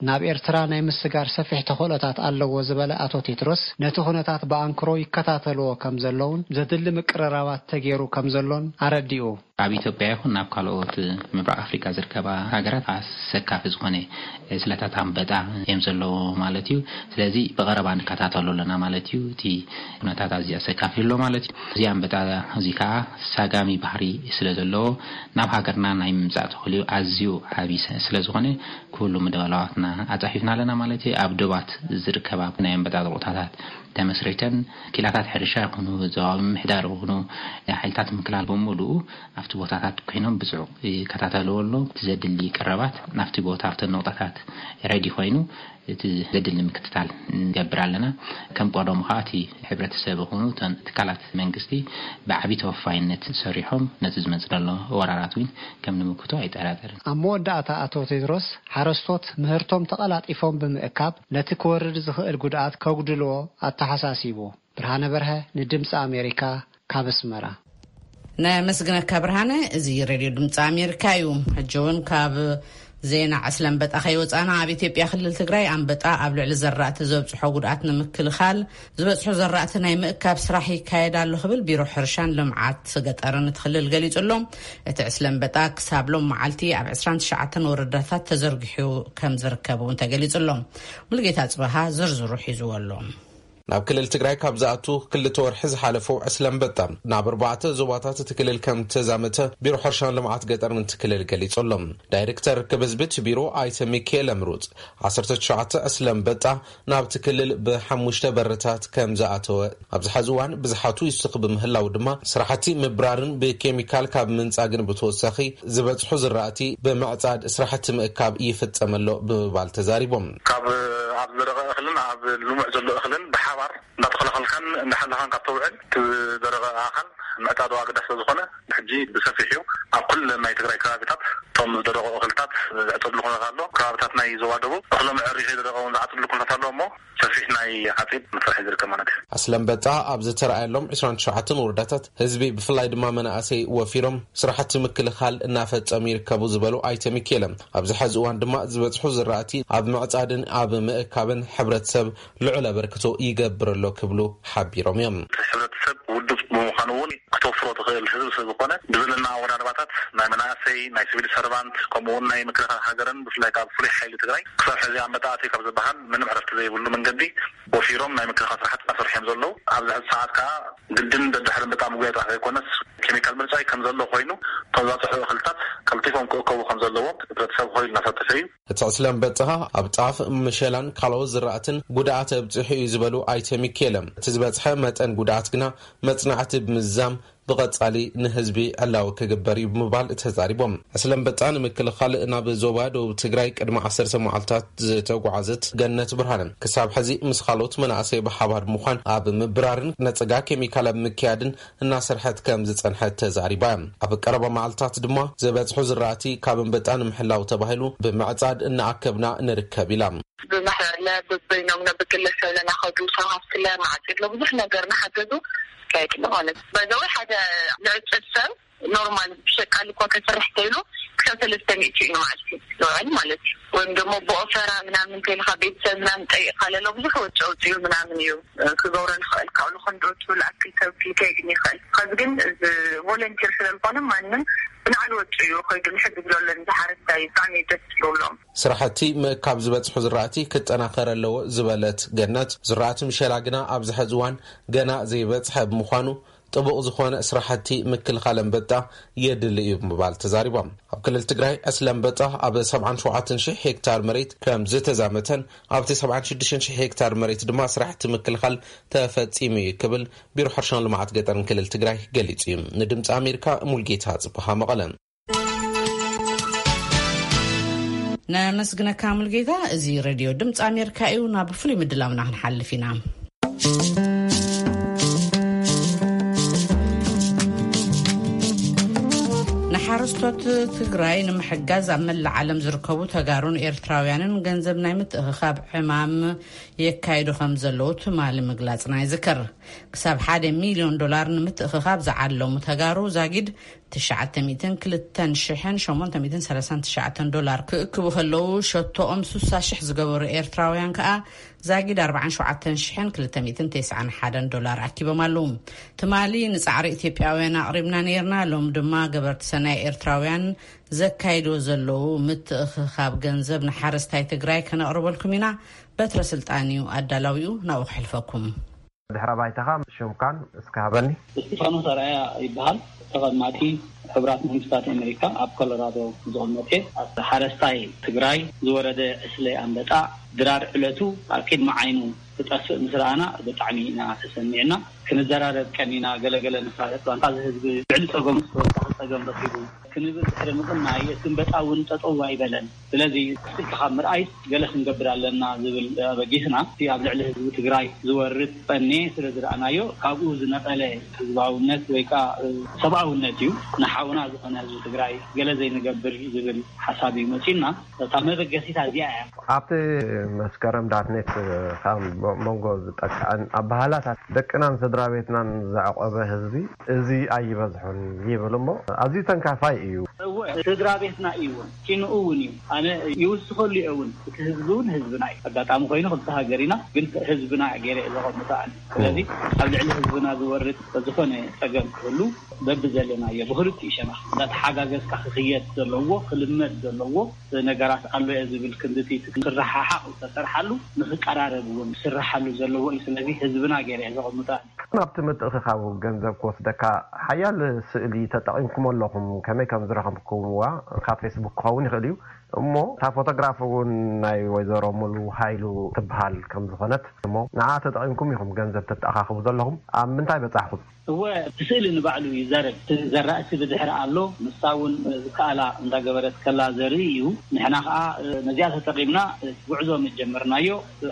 ናብ ኤርትራ ናይ ምስጋር ሰፊሕ ተኽእሎታት ኣለዎ ዝበለ ኣቶ ቴድሮስ፣ ነቲ ኩነታት ብኣንክሮ ይከታተልዎ ከም ዘለውን ዘድሊ ምቅርራባት ተገይሩ ከም ዘሎን ኣረዲኡ። ኣብ ኢትዮጵያ ይኹን ናብ ካልኦት ምብራቕ ኣፍሪካ ዝርከባ ሃገራት ኣሰካፊ ዝኾነ ስለታት ኣንበጣ እዮም ዘለዉ ማለት እዩ። ስለዚ ብቐረባ ንከታተሎ ኣለና ማለት እዩ። እቲ ኩነታት ኣዝዩ ኣሰካፊ ኣሎ ማለት እዩ። እዚ ኣንበጣ እዚ ከዓ ሳጋሚ ባህሪ ስለ ዘለዎ፣ ናብ ሃገርና ናይ ምምጻእ ተኽእልኡ ኣዝዩ ዓቢ ስለ ዝኾነ፣ ኩሉ ምድላዋትና ኣጻፊፍና ኣለና ማለት እዩ። ኣብ ዶባት ዝርከባ ናይ ኣንበጣ ቦታታት ተመስሪተን፣ ክኢላታት ሕርሻ ይኹኑ፣ ዞባዊ ምምሕዳር ይኹኑ፣ ሓይልታት ምክልኻል ብምሉኡ ኣብቲ ቦታታት ኮይኖም ብጽዑቕ ይከታተልዎ ኣሎ። እቲ ዘድሊ ቀረባት ናብቲ ቦታ፣ ኣብተን ነቑጣታት ሬዲ ኮይኑ፣ እቲ ዘድሊ ምክትታል ንገብር ኣለና። ከም ቀደሙ ከዓ እቲ ሕብረተሰብ ይኹኑ እተን ትካላት መንግስቲ ብዓቢ ተወፋይነት ሰሪሖም ነቲ ዝመጽእ ዘሎ ወራራት እውን ከም ንምክቶ ኣይጠራጠርን። ኣብ መወዳእታ ኣቶ ቴድሮስ፣ ሓረስቶት ምህርቶም ተቐላጢፎም ብምእካብ ነቲ ክወርድ ዝኽእል ጉድኣት ከጉድልዎ ኣተሓሳሲቡ። ብርሃነ በርሀ ንድምፂ ኣሜሪካ ካብ ኣስመራ። ነመስግነካ ብርሃነ። እዚ ሬድዮ ድምፂ ኣሜሪካ እዩ። ሕጂ እውን ካብ ዜና ዕስለ ኣንበጣ ከይወፃና፣ ኣብ ኢትዮጵያ ክልል ትግራይ ኣንበጣ ኣብ ልዕሊ ዘራእቲ ዘብፅሖ ጉድኣት ንምክልኻል ዝበፅሑ ዘራእቲ ናይ ምእካብ ስራሕ ይካየድ ኣሎ ክብል ቢሮ ሕርሻን ልምዓት ገጠርን እቲ ክልል ገሊፁ ኣሎ። እቲ ዕስለ ኣንበጣ ክሳብ ሎም መዓልቲ ኣብ ዕስራን ትሽዓተን ወረዳታት ተዘርጊሑ ከም ዝርከብ እውን ተገሊፁ ኣሎ። ሙሉጌታ ፅበሃ ዝርዝሩ ሒዝዎ ኣሎ። ናብ ክልል ትግራይ ካብ ዝኣቱ ክልተ ወርሒ ዝሓለፉ ዕስለ ኣንበጣ ናብ ኣርባዕተ ዞባታት እቲ ክልል ከም ተዛመተ ቢሮ ሕርሻን ልምዓት ገጠርን እቲ ክልል ገሊጹ ኣሎ። ዳይሬክተር ርክብ ህዝቢ እቲ ቢሮ ኣይተ ሚካኤል ኣምሩፅ፣ ዓሰርተ ትሽዓተ ዕስለ ኣንበጣ ናብቲ ክልል ብሓሙሽተ በርታት ከም ዝኣተወ፣ ኣብዚ ሐዚ እዋን ብዝሓቱ ይስኽ ብምህላው ድማ ስራሕቲ ምብራርን ብኬሚካል ካብ ምንጻግን ብተወሳኺ ዝበጽሑ ዝራእቲ ብምዕጻድ ስራሕቲ ምእካብ ይፍጸም ኣሎ ብምባል ተዛሪቦም። ካብ ኣብ ዝደረቐ እኽልን ኣብ ልሙዕ ዘሎ እኽልን ብሓባር እንዳተኸላኸልካን እንዳሓለኻን ካብ ተውዕል፣ እቲ ዝደረቐ ኣኻል ምዕጻዱ ኣገዳሲ ስለ ዝኾነ፣ ብሕጂ ብሰፊሕ እዩ ኣብ ኩለን ናይ ትግራይ ከባቢታት እቶም ዝደረቑ እኽልታት ዝዕጸድሉ ኩነታት ኣሎ። ከባቢታት ናይ ዞባ ደቡብ እኽሎም ዕሪ ከይደረቐ እውን ዝዓጽድሉ ኩነታት ኣሎ እሞ፣ ሰፊሕ ናይ ዓጺድ መስርሕ ዝርከብ ማለት እዩ። ዕስለ ኣንበጣ ኣብ ዝተረኣየሎም ዕስራን ትሽዓተን ወረዳታት ህዝቢ ብፍላይ ድማ መናእሰይ ወፊሮም ስራሕቲ ምክልኻል እናፈጸሙ ይርከቡ ዝበሉ ኣይተ ሚካኤለ፣ ኣብዚ ሐዚ እዋን ድማ ዝበጽሑ ዝራእቲ ኣብ ምዕጻድን ኣብ ምእካብን ሕብረተሰብ ልዑል ኣበርክቶ ይገብር ኣሎ ክብሉ ሓቢሮም እዮም። ሕብረተሰብ ውዱብ ብምዃኑ እውን ክተፍሮ ትኽእል ህዝቢ ስለ ዝኾነ፣ ብዘለና ኣወዳድባታት ናይ መናእሰይ፣ ናይ ሲቪል ሰርቫንት፣ ከምኡ እውን ናይ ምክልኻል ሃገርን ብፍላይ ካብ ፍሉይ ሓይሊ ትግራይ ክሳብ ሕዚ ኣንበጣ ኣትዩ ካብ ዝበሃል ምንም ዕረፍቲ ዘይብሉ መንገዲ ወፊሮም ናይ ምክልኻል ስራሕቲ እናሰርሑ እዮም ዘለዉ። ኣብዚ ሕዚ ሰዓት ከዓ ግድን ደድሕሪ ኣንበጣ ምጉያይ ጥራሕ ዘይኮነስ ኬሚካል ምርጫይ ከም ዘሎ ኮይኑ፣ እቶም ዝበፅሑ እኽልታት ቀልጢፎም ክእከቡ ከም ዘለዎም ሕብረተሰብ ኮይኑ እናሳተፈ እዩ። እቲ ዕስለ ኣንበጣ ኣብ ጣፍ፣ መሸላን ካልኦት ዝራእትን ጉድኣት ኣብፂሑ እዩ ዝበሉ ኣይተ ሚካኤለ፣ እቲ ዝበፅሐ መጠን ጉድኣት ግና መፅናዕቲ ብምዝዛም ብቐጻሊ ንህዝቢ ዕላዊ ክግበር እዩ ብምባል ተዛሪቦም። ዕስለ ኣንበጣ ንምክልኻል ናብ ዞባ ደቡብ ትግራይ ቅድሚ ዓሰርተ መዓልታት ዝተጓዓዘት ገነት ብርሃነ፣ ክሳብ ሕዚ ምስ ካልኦት መናእሰይ ብሓባር ብምዃን ኣብ ምብራርን ነጸጋ ኬሚካል ኣብ ምክያድን እናሰርሐት ከም ዝጸንሐት ተዛሪባ። ኣብ ቀረባ መዓልታት ድማ ዝበጽሑ ዝራእቲ ካብ ኣንበጣ ንምሕላው ተባሂሉ ብምዕጻድ እናኣከብና ንርከብ ኢላ። ብማሕበርለ፣ ብበይኖምለ፣ ብግለሰብለ እናኸዱ፣ ሰብ ሃፍትለ እናዓጺድለ፣ ብዙሕ ነገር እናሓገዙ ይካየድ ኣሎ ማለት እዩ። በዛ ወይ ሓደ ልዕጽድ ሰብ ኖርማል ብሸቃሊ እኳ ከሰርሕ ተይሉ ክሳብ ሰለስተ ሚእቲ እዩ ንመዓልቲ ዝውዕል ማለት እዩ። ወይም ደግሞ ብኦፈራ ምናምን ተይልካ ቤተሰብ ምናምን ጠይቕካ ለሎ ብዙሕ ወጪ ኣውፂኡ ምናምን እዩ፣ እ፣ ክገብሮ ልኽእል። ካብኡ ልኾን ዶ ትብል ኣክል ሰብ ክልከ ይግን ይኽእል። ከዚ ግን እዚ ቮለንቲር ስለ ዝኾነ ማንም ብናዕሊ ወጪ እዩ ከይዱ ንሕግዝ ለሎ ንዝሓረስታይ ብጣዕሚ ደስ ዝብሎም። ስራሕቲ ምእካብ ዝበጽሑ ዝራእቲ ክጠናኸር ኣለዎ ዝበለት ገነት፣ ዝራእቲ ምሸላ ግና ኣብዚ ሐዚ እዋን ገና ዘይበጽሐ ብምዃኑ ጥቡቕ ዝኾነ ስራሕቲ ምክልኻል ኣንበጣ የድሊ እዩ ብምባል ተዛሪቦም። ኣብ ክልል ትግራይ ዕስለ ኣንበጣ ኣብ ሰብዓን ሸውዓተን ሺሕ ሄክታር መሬት ከም ዝተዛመተን ኣብቲ ሰብዓን ሽዱሽተን ሺሕ ሄክታር መሬት ድማ ስራሕቲ ምክልኻል ተፈጺሙ እዩ ክብል ቢሮ ሕርሻን ልምዓት ገጠርን ክልል ትግራይ ገሊጹ እዩ። ንድምፂ ኣሜሪካ ሙልጌታ ጽብሃ መቐለ። ነመስግነካ ሙልጌታ። እዚ ሬድዮ ድምፂ ኣሜሪካ እዩ። ናብ ፍሉይ ምድላውና ክንሓልፍ ኢና። ንሓረስቶት ትግራይ ንምሕጋዝ ኣብ መላእ ዓለም ዝርከቡ ተጋሩን ኤርትራውያንን ገንዘብ ናይ ምትእኽኻብ ዕማም የካይዱ ከም ዘለዉ ትማሊ ምግላጽና ይዝከር። ክሳብ ሓደ ሚልዮን ዶላር ንምትእኽኻብ ዝዓለሙ ተጋሩ ዛጊድ ትሽዓተ ሚእትን ክልተን ሽሕን ሸሞንተ ሚእትን ሰላሳን ትሽዓተን ዶላር ክእክቡ ከለዉ፣ ሸቶኦም ስሳ ሽሕ ዝገበሩ ኤርትራውያን ከኣ ዛጊድ ኣርባዓን ሸውዓተን ሽሕን ክልተ ሚእትን ተስዓን ሓደን ዶላር ኣኪቦም ኣለዉ። ትማሊ ንጻዕሪ ኢትዮጵያውያን ኣቕሪብና ነይርና። ሎም ድማ ገበርቲ ሰናይ ኤርትራውያን ዘካይድዎ ዘለዉ ምትእኽኻብ ገንዘብ ንሓረስታይ ትግራይ ከነቕርበልኩም ኢና። በትረ ስልጣን እዩ ኣዳላዊኡ፣ ናብኡ ክሕልፈኩም። ድሕረ ባይታኻ ሽምካን እስከ ሃበኒ። እስጢፋኖስ ኣርኣያ ይበሃል። ተቐማጢ ሕቡራት መንግስታት ኣሜሪካ ኣብ ኮሎራዶ ዝቕመጥ እየ። ኣብ ሓረስታይ ትግራይ ዝወረደ ዕስለ ኣንበጣ ድራር ዕለቱ ኣብ ቅድሚ ዓይኑ ክጠፍእ ምስ ረኣና ብጣዕሚ ኢና ተሰሚዕና። ክንዘራረብ ቀኒና፣ ገለገለ ንፋለጥ፣ ባንታ እዚ ህዝቢ ልዕሊ ጸገሙ ተወሳኺ ጸገም ረኺቡ ክንብል ድሕሪ ምቕናይ፣ እቲ ኣንበጣ እውን ጠጠው ኣይበለን። ስለዚ ስኢልካ ካብ ምርኣይ ገለ ክንገብር ኣለና ዝብል ኣበጊስና፣ እቲ ኣብ ልዕሊ ህዝቢ ትግራይ ዝወርድ ጠኔ ስለ ዝረኣናዮ፣ ካብኡ ዝነቐለ ህዝባውነት ወይ ከዓ ሰብኣውነት እዩ። ንሓውና ዝኾነ ህዝቢ ትግራይ ገለ ዘይንገብር ዝብል ሓሳብ እዩ መፂኡና። እታ መበገሲታ እዚኣ እያ። ኣብቲ መስከረም ዳትኔት ካብ መንጎ ዝጠቅዐን ኣባህላታት ደቅናን ስድራ ቤትናን ዘዕቆበ ህዝቢ እዚ ኣይበዝሑን ይብል እሞ፣ ኣዝዩ ተንካፋይ እዩ። እወ፣ ስድራ ቤትና እዩ እውን፣ ኪንኡ እውን እዩ። ኣነ ይውስኸሉ እየ እውን፣ እቲ ህዝቢ እውን ህዝብና እዩ። ኣጋጣሚ ኮይኑ ክልተ ሃገር ኢና፣ ግን ህዝብና ገይረ እየ ዘቐምጦ ኣነ። ስለዚ ኣብ ልዕሊ ህዝብና ዝወርድ ዝኾነ ጸገም ክህሉ በብዘለናዮ ብኽልቲኡ ሸነኽ እንዳተሓጋገዝካ ክኽየድ ዘለዎ፣ ክልመድ ዘለዎ ነገራት ኣሎ እየ ዝብል ክንድቲ ክረሓሓቕ ዝተሰርሓሉ፣ ንኽቀራረብ እውን ክስርሓሉ ዘለዎ እዩ። ስለዚ ህዝብና ገይረ እየ ዘቐምጦ። ናብቲ ምትእኽኻብ ገንዘብ ክወስደካ ሓያል ስእሊ ተጠቒምኩም ኣለኹም። ከመይ ከም ዝረኸብኩምዋ ካብ ፌስቡክ ክኸውን ይኽእል እዩ። እሞ እታ ፎቶግራፍ እውን ናይ ወይዘሮ ሙሉ ሃይሉ ትበሃል ከም ዝኾነት፣ እሞ ንዓ ተጠቒምኩም ኢኹም ገንዘብ ተተኣኻኽቡ ዘለኹም። ኣብ ምንታይ በጻሕኹም? እወ፣ እቲ ስእሊ ንባዕሉ ይዛረብ። እቲ ዘራእቲ ብድሕሪ ኣሎ፣ ንሳ እውን ዝከኣላ እንዳገበረት ከላ ዘርኢ እዩ። ንሕና ከዓ ነዚኣ ተጠቒምና ጉዕዞ መጀመርናዮ።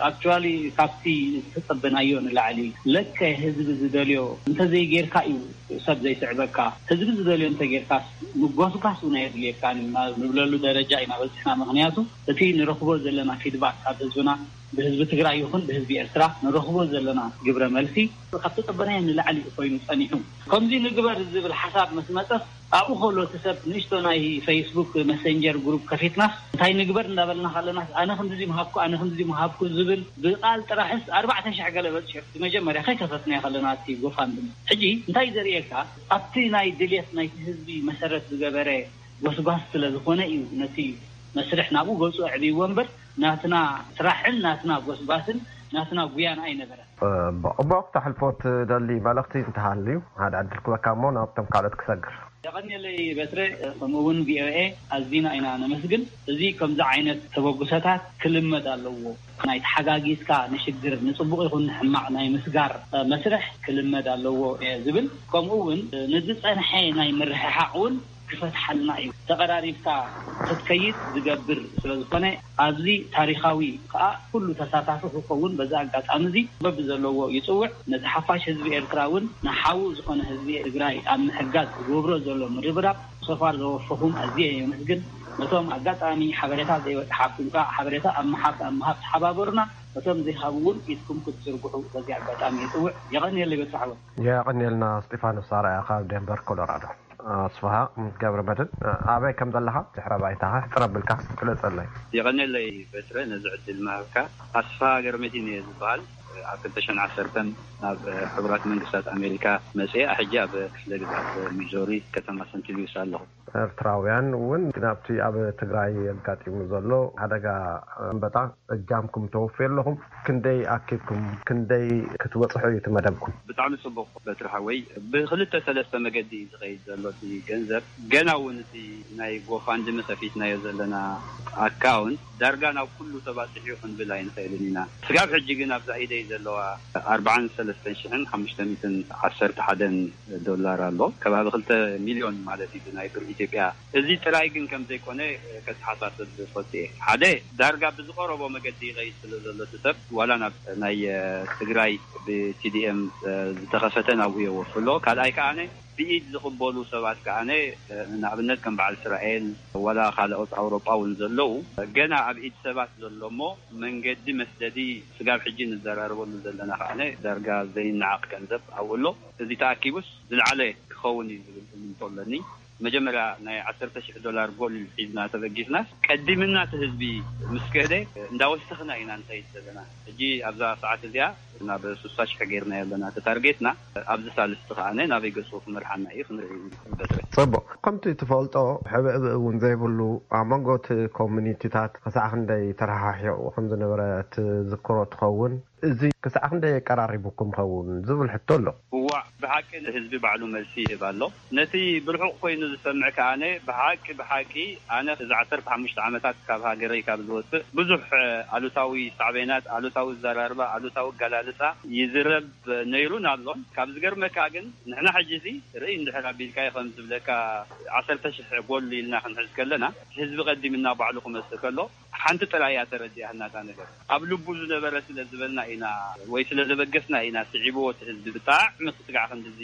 ኣክቹዋሊ ካብቲ ዝተጸበናዮ ንላዕሊ፣ ለከ ህዝቢ ዝደልዮ እንተዘይጌርካ እዩ ሰብ ዘይስዕበካ። ህዝቢ ዝደልዮ እንተጌርካስ ምጎስጓስ እውን ኣየድልየካን ኢና ንብለሉ ደረጃ ኢና በጺሕና። ምኽንያቱ እቲ ንረኽቦ ዘለና ፊድባክ ካብ ህዝብና፣ ብህዝቢ ትግራይ ይኹን ብህዝቢ ኤርትራ ንረኽቦ ዘለና ግብረ መልሲ ካብ ተጸበናዮ ንላዕሊ እዩ ኮይኑ ጸኒሑ። ከምዚ ንግበር ዝብል ሓሳብ ምስ መጸስ ኣብኡ ከሎ እቲ ሰብ ንእሽቶ ናይ ፌስቡክ መሰንጀር ግሩፕ ከፊትናስ እንታይ ንግበር እንዳበልና ከለናስ ኣነ ክንድዚ ምሃብኩ፣ ኣነ ክንድዚ ምሃብኩ ዝብል ብቃል ጥራሕስ ኣርባዕተ ሽሕ ገለ በጺሑ። መጀመርያ ከይከፈትና ከለና እቲ ጎፋንድሚ። ሕጂ እንታይ ዘርእየካ ኣብቲ ናይ ድልየት ናይቲ ህዝቢ መሰረት ዝገበረ ጎስጓስ ስለ ዝኾነ እዩ ነቲ መስርሕ ናብኡ ገጹ ኣዕብይዎ እምበር ናትና ስራሕን ናትና ጎስጓስን ናትና ጉያን ኣይነበረን። ጽቡቕ። እሞ ክተሕልፎ ትደሊ መልእኽቲ እንተሃልዩ ሓደ ዕድል ክበካ እሞ ናብቶም ካልኦት ክሰግር። የቐንየለይ በትረ፣ ከምኡ እውን ቪኦኤ ኣዚና ኢና ነመስግን። እዚ ከምዚ ዓይነት ተበግሶታት ክልመድ ኣለዎ። ናይ ተሓጋጊዝካ ንሽግር ንጽቡቕ ይኹን ንሕማቕ ናይ ምስጋር መስርሕ ክልመድ ኣለዎ እየ ዝብል። ከምኡ እውን ንዝጸንሐ ናይ ምርሕሓቕ እውን ክፈትሓልና እዩ። ተቐራሪብካ ክትከይድ ዝገብር ስለ ዝኾነ ኣብዚ ታሪኻዊ ከዓ ኩሉ ተሳታፊ ክኸውን በዚ ኣጋጣሚ እዚ በብዘለዎ ይጽውዕ። ነቲ ሓፋሽ ህዝቢ ኤርትራ እውን ንሓዉ ዝኾነ ህዝቢ ትግራይ ኣብ ምሕጋዝ ዝገብሮ ዘሎ ምርብራብ ሶፋር ዘወፈኹም ኣዝየ የመስግን። ነቶም ኣጋጣሚ ሓበሬታ ዘይበጽሓኩም ከዓ ሓበሬታ ኣብ ምሃብ ኣብ ምሃብ ተሓባበሩና። ነቶም ዘይሃቡ እውን ኢድኩም ክትዝርግሑ በዚ ኣጋጣሚ ይጽውዕ። የቐንየለይ በትሪ ሓወይ። የቐንየልና እስጢፋኖስ ኣርኣያ ካብ ዴንቨር ኮሎራዶ። ኣስፍሃ ገብረ መድህን፣ ኣበይ ከም ዘለኻ ድሕረ ባይታኻ ሕጽር ኣቢልካ ግለጸለይ። የቐንየለይ በትረ ነዚ ዕድል ምሃብካ። ኣስፍሃ ገብረ መድህን እየ ዝበሃል። ኣብ ክልተ ሽሕን ዓሰርተን ናብ ሕቡራት መንግስታት ኣሜሪካ መፅአ። ሕጂ ኣብ ክፍለ ግዛት ሚዞሪ ከተማ ሰንት ሉዊስ ኣለኹ። ኤርትራውያን እውን ናብቲ ኣብ ትግራይ ኣጋጢሙ ዘሎ ሓደጋ ኣንበጣ እጃምኩም ተወፍዩ ኣለኹም። ክንደይ ኣኪብኩም፣ ክንደይ ክትበፅሑ እዩ እቲ መደብኩም? ብጣዕሚ ፅቡቅ በትሪ ሓወይ። ብክልተ ሰለስተ መገዲ እዩ ዝኸይድ ዘሎ እቲ ገንዘብ። ገና እውን እቲ ናይ ጎፋንድሚ ከፊትናዮ ዘለና ኣካውንት ዳርጋ ናብ ኩሉ ተባፅሑ እዩ ክንብል ኣይንኽእልን ኢና። ስጋብ ሕጂ ግን ኣብዛ ኢደይ ዘለዋ ኣርባዓን ሰለስተን ሽሕን ሓሙሽተ ሚእትን ዓሰርተ ሓደን ዶላር ኣሎ። ከባቢ ክልተ ሚልዮን ማለት እዩ ናይ ብር ኢትዮጵያ። እዚ ጥራይ ግን ከም ዘይኮነ ከተሓሳስብ ፈትየ። ሓደ ዳርጋ ብዝቐረቦ መገዲ ይኸይድ ስለ ዘሎ እቲ ሰብ ዋላ ናብ ናይ ትግራይ ብቲዲኤም ዝተኸፈተ ናብኡ የወፍሎ። ካልኣይ ከዓነ ብኢድ ዝቕበሉ ሰባት ከዓነ ንኣብነት ከም በዓል እስራኤል ዋላ ካልኦት ኣውሮጳ እውን ዘለዉ ገና ኣብ ኢድ ሰባት ዘሎ እሞ መንገዲ መስደዲ ስጋብ ሕጂ ንዘራረበሉ ዘለና ከዓነ ዳርጋ ዘይነዓቕ ገንዘብ ኣብኡ ኣሎ። እዚ ተኣኪቡስ ዝለዓለ ክኸውን እዩ ዝብል እምንቶ ኣለኒ። መጀመርያ ናይ ዓሰርተ ሽሕ ዶላር ጎል ሒዝና ተበጊስናስ ቀዲምና እቲ ህዝቢ ምስ ከደ እንዳወሰኽና ኢና ንኸይድ ዘለና። ሕጂ ኣብዛ ሰዓት እዚኣ ናብ ሱሳ ሽሕ ጌርና ኣለና እቲ ታርጌትና። ኣብዚ ሳልስቲ ከዓነ ናበይ ገጹ ክመርሓና እዩ ክንርኢ እዩ። በትሪ ጽቡቕ። ከምቲ ትፈልጦ ሕብእብእ እውን ዘይብሉ ኣብ መንጎ እቲ ኮሚኒቲታት ክሳዕ ክንደይ ተረሓሒቑ ከም ዝነበረ ትዝክሮ ትኸውን። እዚ ክሳዕ ክንደይ የቀራሪቡኩም ኸውን ዝብል ሕቶ ኣሎ። እዋእ ብሓቂ ንህዝቢ ባዕሉ መልሲ ይህብ ኣሎ። ነቲ ብርሑቕ ኮይኑ ዝሰምዕ ከኣነ ብሓቂ ብሓቂ ኣነ እዚ ዓሰርተ ሓሙሽተ ዓመታት ካብ ሃገረይ ካብ ዝወፅእ ብዙሕ ኣሉታዊ ሳዕቤናት፣ ኣሉታዊ ኣዘራርባ፣ ኣሉታዊ ኣገላልፃ ይዝረብ ነይሩን ኣሎን። ካብ ዝገርመካ ግን ንሕና ሕጂ እዚ ርእይ እንድሕር ኣቢልካዮ ከም ዝብለካ ዓሰርተ ሽሕ ጎል ኢልና ክንሕዝ ከለና ህዝቢ ቀዲምና ባዕሉ ክመፅእ ከሎ ሓንቲ ጥራይ እያ ተረዲኣትና እታ ነገር። ኣብ ልቡ ዝነበረ ስለ ዝበልና ኢና ወይ ስለ ዘበገስና ኢና ስዒብዎ እቲ ህዝቢ ብጣዕሚ ክትጋዕ ክንድዚ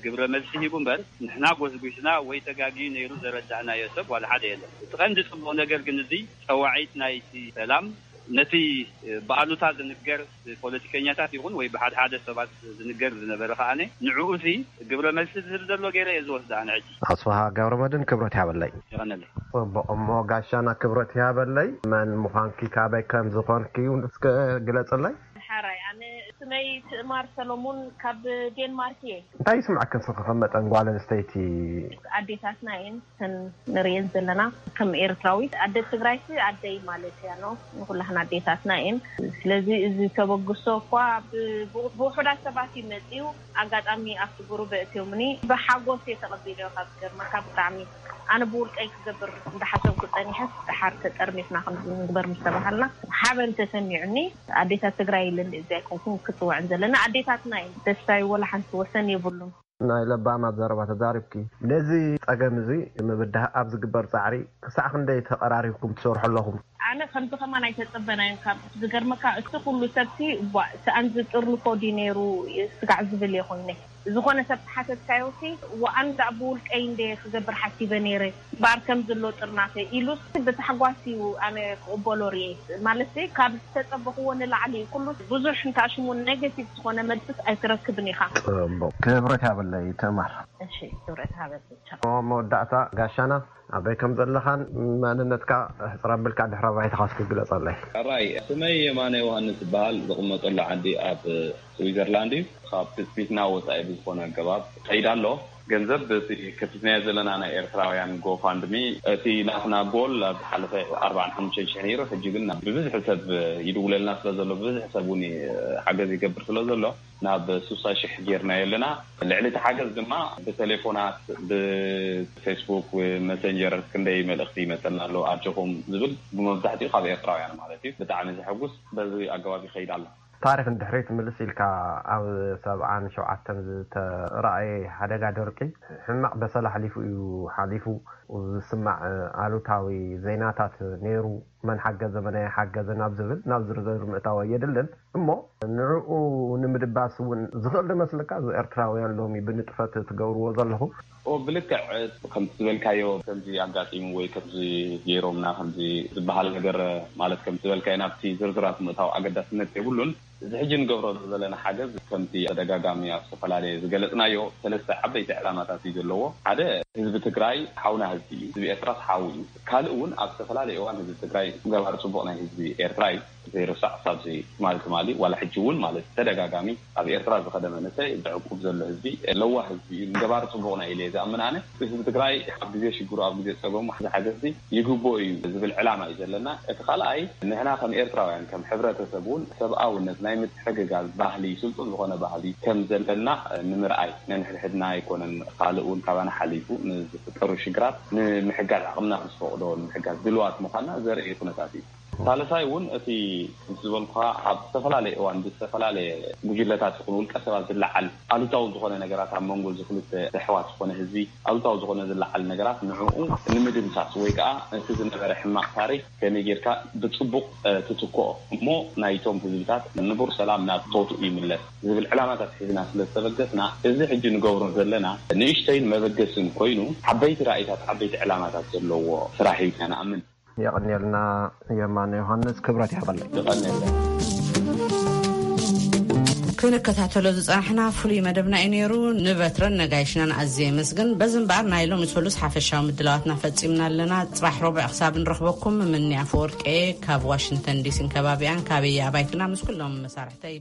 ግብረ መልሲ ሂቡ እምበር ንሕና ጎስጒስና ወይ ተጋግዩ ነይሩ ዘረዳእናዮ ሰብ ዋላ ሓደ የለን። እቲ ቀንዲ ጽቡቕ ነገር ግን እዚ ጸዋዒት ናይቲ ሰላም ነቲ ብኣሉታ ዝንገር ብፖለቲከኛታት ይኹን ወይ ብሓደ ሓደ ሰባት ዝንገር ዝነበረ ከኣነ ንዕኡ እዚ ግብረ መልሲ ዝህብ ዘሎ ገይረ እየ ዝወስድ ኣነ ሕጂ። ኣስፍሃ ገብረመድህን ክብረት ይሃበለይ። የቐነለይ። ጽቡቕ እሞ ጋሻና ክብረት ይሃበለይ። መን ምዃንኪ ካበይ ከም ዝኾንኪ እውን እስከ ግለጽለይ። ሓራይ ኣነ ስመይ ትእማር ሰሎሙን ካብ ዴንማርክ እየ። እንታይ ይስምዐክን ስኺ ከም መጠን ጓል ኣንስተይቲ? ኣዴታትና እየን እተን ንርእየን ዘለና ከም ኤርትራዊት ኣደ ትግራይሲ ኣደይ ማለት እያ ኖ ንኩላህና ኣዴታትና እየን። ስለዚ እዚ ተበግሶ እኳ ብውሑዳት ሰባት እዩ መፅዩ። ኣጋጣሚ ኣብቲ ጉሩብ ኣእትዮምኒ ብሓጎስ እየ ተቐቢለዮ ካብ ዝገርመካ ብጣዕሚ ኣነ ብውልቀይ ክገብር እንዳሓሰብኩ ፀኒሐስ ደሓር ተጠርኒፍና ከምዚ ንግበር ምስ ተባሃልና ሓበን ተሰሚዑኒ። ኣዴታት ትግራይ ኢለ እንደ እዚ ኣይኮንኩን ክፅውዐን ዘለና ኣዴታትና እየን። ደስታዩ ወላ ሓንቲ ወሰን የብሉን። ናይ ለባማት ዘረባ ተዛሪብኪ። ነዚ ጸገም እዚ ንምብዳህ ኣብ ዝግበር ጻዕሪ ክሳዕ ክንደይ ተቐራሪብኩም ትሰርሑ ኣለኹም? ኣነ ከምዚ ከማን ኣይተጸበናዮን ካብ ዝገርመካ እቲ ኩሉ ሰብሲ ዋእ ሰኣን ዝጥርንፎ ድዩ ነይሩ ስጋዕ ዝብል እየ ኮይነ ዝኾነ ሰብ ተሓተትካዮሲ ዋእ ኣነ ደኣ ብውልቀይ እንደ ክገብር ሓሲበ ነይረ እምበኣር ከምዚ ኣሎ ጥርናፈ ኢሉስ ብታሕጓስ እዩ ኣነ ክቕበሎ ርእየ። ማለትሲ ካብ ዝተጸበኽዎ ንላዕሊ እዩ። ኩሉ ብዙሕ እንተኣሽሙ ኔጌቲቭ ዝኾነ መልስስ ኣይትረክብን ኢኻ። ጽቡቕ። ክብረት ይሃበለይ ትእማር። እሺ ክብረት ይሃበለይ። ቻው። መወዳእታ ጋሻና ኣበይ ከም ዘለኻን መንነትካ ሕጽር ኣቢልካ ድሕረ ባይታኻ እስኪ ግለጸለይ። ሕራይ ስመይ የማነ ዮሃንስ ይበሃል። ዝቕመጠሉ ዓዲ ኣብ ስዊዘርላንድ እዩ። ካብ ትጽቢትና ወጻኢ ብዝኾነ ኣገባብ ይኸይድ ኣሎ። ገንዘብ እቲ ከፊትናዮ ዘለና ናይ ኤርትራውያን ጎፋንድሚ እቲ ናትና ጎል ኣብ ዝሓለፈ ኣርባዓን ሓሙሽተን ሽሕ ነይሩ። ሕጂ ግን ብብዝሒ ሰብ ይድውለልና ስለ ዘሎ ብብዝሒ ሰብ እውን ሓገዝ ይገብር ስለ ዘሎ ናብ ሱሳ ሽሕ ጌርናዮ ኣለና። ልዕሊ እቲ ሓገዝ ድማ ብቴሌፎናት ብፌስቡክ መሰንጀር ክንደይ መልእኽቲ ይመፀና ኣሎ ኣጆኹም ዝብል ብመብዛሕትኡ ካብ ኤርትራውያን ማለት እዩ። ብጣዕሚ ዘሐጉስ በዚ ኣገባብ ይኸይድ ኣሎ። ታሪኽ ንድሕሪት ምልስ ኢልካ ኣብ ሰብዓን ሸውዓተን ዝተራእየ ሓደጋ ደርቂ ሕማቕ በሰላ ኣሕሊፉ እዩ ሓሊፉ ዝስማዕ ኣሉታዊ ዜናታት ነይሩ። መን ሓገዘ መን ኣይሓገዘ ናብ ዝብል ናብ ዝርዝር ምእታው ኣየድልን እሞ ንዕኡ ንምድባስ እውን ዝኽእል ዶ መስለካ እዚ ኤርትራውያን ሎሚ ብንጥፈት ትገብርዎ ዘለኹም? ኦ ብልክዕ ከምቲ ዝበልካዮ ከምዚ ኣጋጢሙ ወይ ከምዚ ገይሮምና ከምዚ ዝበሃል ነገር ማለት ከምቲ ዝበልካዮ ናብቲ ዝርዝራት ምእታው ኣገዳስነት የብሉን። እዚ ሕጂ ንገብሮ ዘለና ሓገዝ ከምቲ ተደጋጋሚ ኣብ ዝተፈላለየ ዝገለጽናዮ ሰለስተ ዓበይቲ ዕላማታት እዩ ዘለዎ። ሓደ፣ ህዝቢ ትግራይ ሓውና ህዝቢ እዩ። ህዝቢ ኤርትራስ ሓው እዩ። ካልእ እውን ኣብ ዝተፈላለየ እዋን ህዝቢ ትግራይ ገባር ጽቡቕ ናይ ህዝቢ ኤርትራ እዩ። ዘይርሳዕ ሳብዚ ትማሊ ትማሊ ዋላ ሕጂ እውን ማለት ተደጋጋሚ ኣብ ኤርትራ ዝኸደ መንእሰይ ዘዕቁብ ዘሎ ህዝቢ ለዋህ ህዝቢ እዩ። ገባር ጽቡቕ ናይ ኢለ ዝኣምን ኣነ። ህዝቢ ትግራይ ኣብ ግዜ ሽግሩ ኣብ ግዜ ጸገሙ ዝሓገዝ ይግብኦ እዩ ዝብል ዕላማ እዩ ዘለና። እቲ ካልኣይ ንሕና ከም ኤርትራውያን ከም ሕብረተሰብ እውን ሰብኣውነት ናይ ምትሕግጋዝ ባህሊ ስልጡን ዝኾነ ባህሊ ከም ዘለና ንምርኣይ ነንሕድሕድና ኣይኮነን ካልእ እውን ካባና ሓሊፉ ንዝፍጠሩ ሽግራት ንምሕጋዝ ዓቕምና ዝፈቕዶ ንምሕጋዝ ድልዋት ምዃንና ዘርኢ ኩነታት እዩ። ሳልሳይ እውን እቲ ምስ ዝበልኩኻ ኣብ ዝተፈላለየ እዋን ብዝተፈላለየ ጉጅለታት ይኹን ውልቀ ሰባት ዝለዓል ኣሉታዊ ዝኾነ ነገራት ኣብ መንጎ እዚ ክልተ ኣሕዋት ዝኾነ ህዝቢ ኣሉታዊ ዝኾነ ዝለዓል ነገራት ንዕኡ ንምድምሳስ ወይ ከዓ እቲ ዝነበረ ሕማቕ ታሪክ ከመይ ጌርካ ብፅቡቕ ትትክኦ እሞ ናይቶም ህዝብታት ንቡር ሰላም ናብ ቦትኡ ይምለስ ዝብል ዕላማታት ሒዝና ስለ ዝተበገስና እዚ ሕጂ ንገብሮ ዘለና ንእሽተይን መበገስን ኮይኑ ዓበይቲ ራእይታት ዓበይቲ ዕላማታት ዘለዎ ስራሕ እዩ ኢልና ንኣምን። የቐንየልና። የማነ ዮሃንስ ክብረት ይሃበለይ። ይቐንየልና። ክንከታተሎ ዝፀናሕና ፍሉይ መደብና እዩ ነይሩ። ንበትረን ነጋይሽናን ኣዝየ የመስግን። በዚ እምበኣር ናይ ሎሚ ሰሉስ ሓፈሻዊ ምድላዋትና ፈፂምና ኣለና። ፅባሕ ረቡዕ ክሳብ ንረኽበኩም ምምኒ ኣፈወርቂ ካብ ዋሽንግተን ዲሲን ከባቢኣን ካበየ ኣባይትና ምስ ኩሎም መሳርሕተይ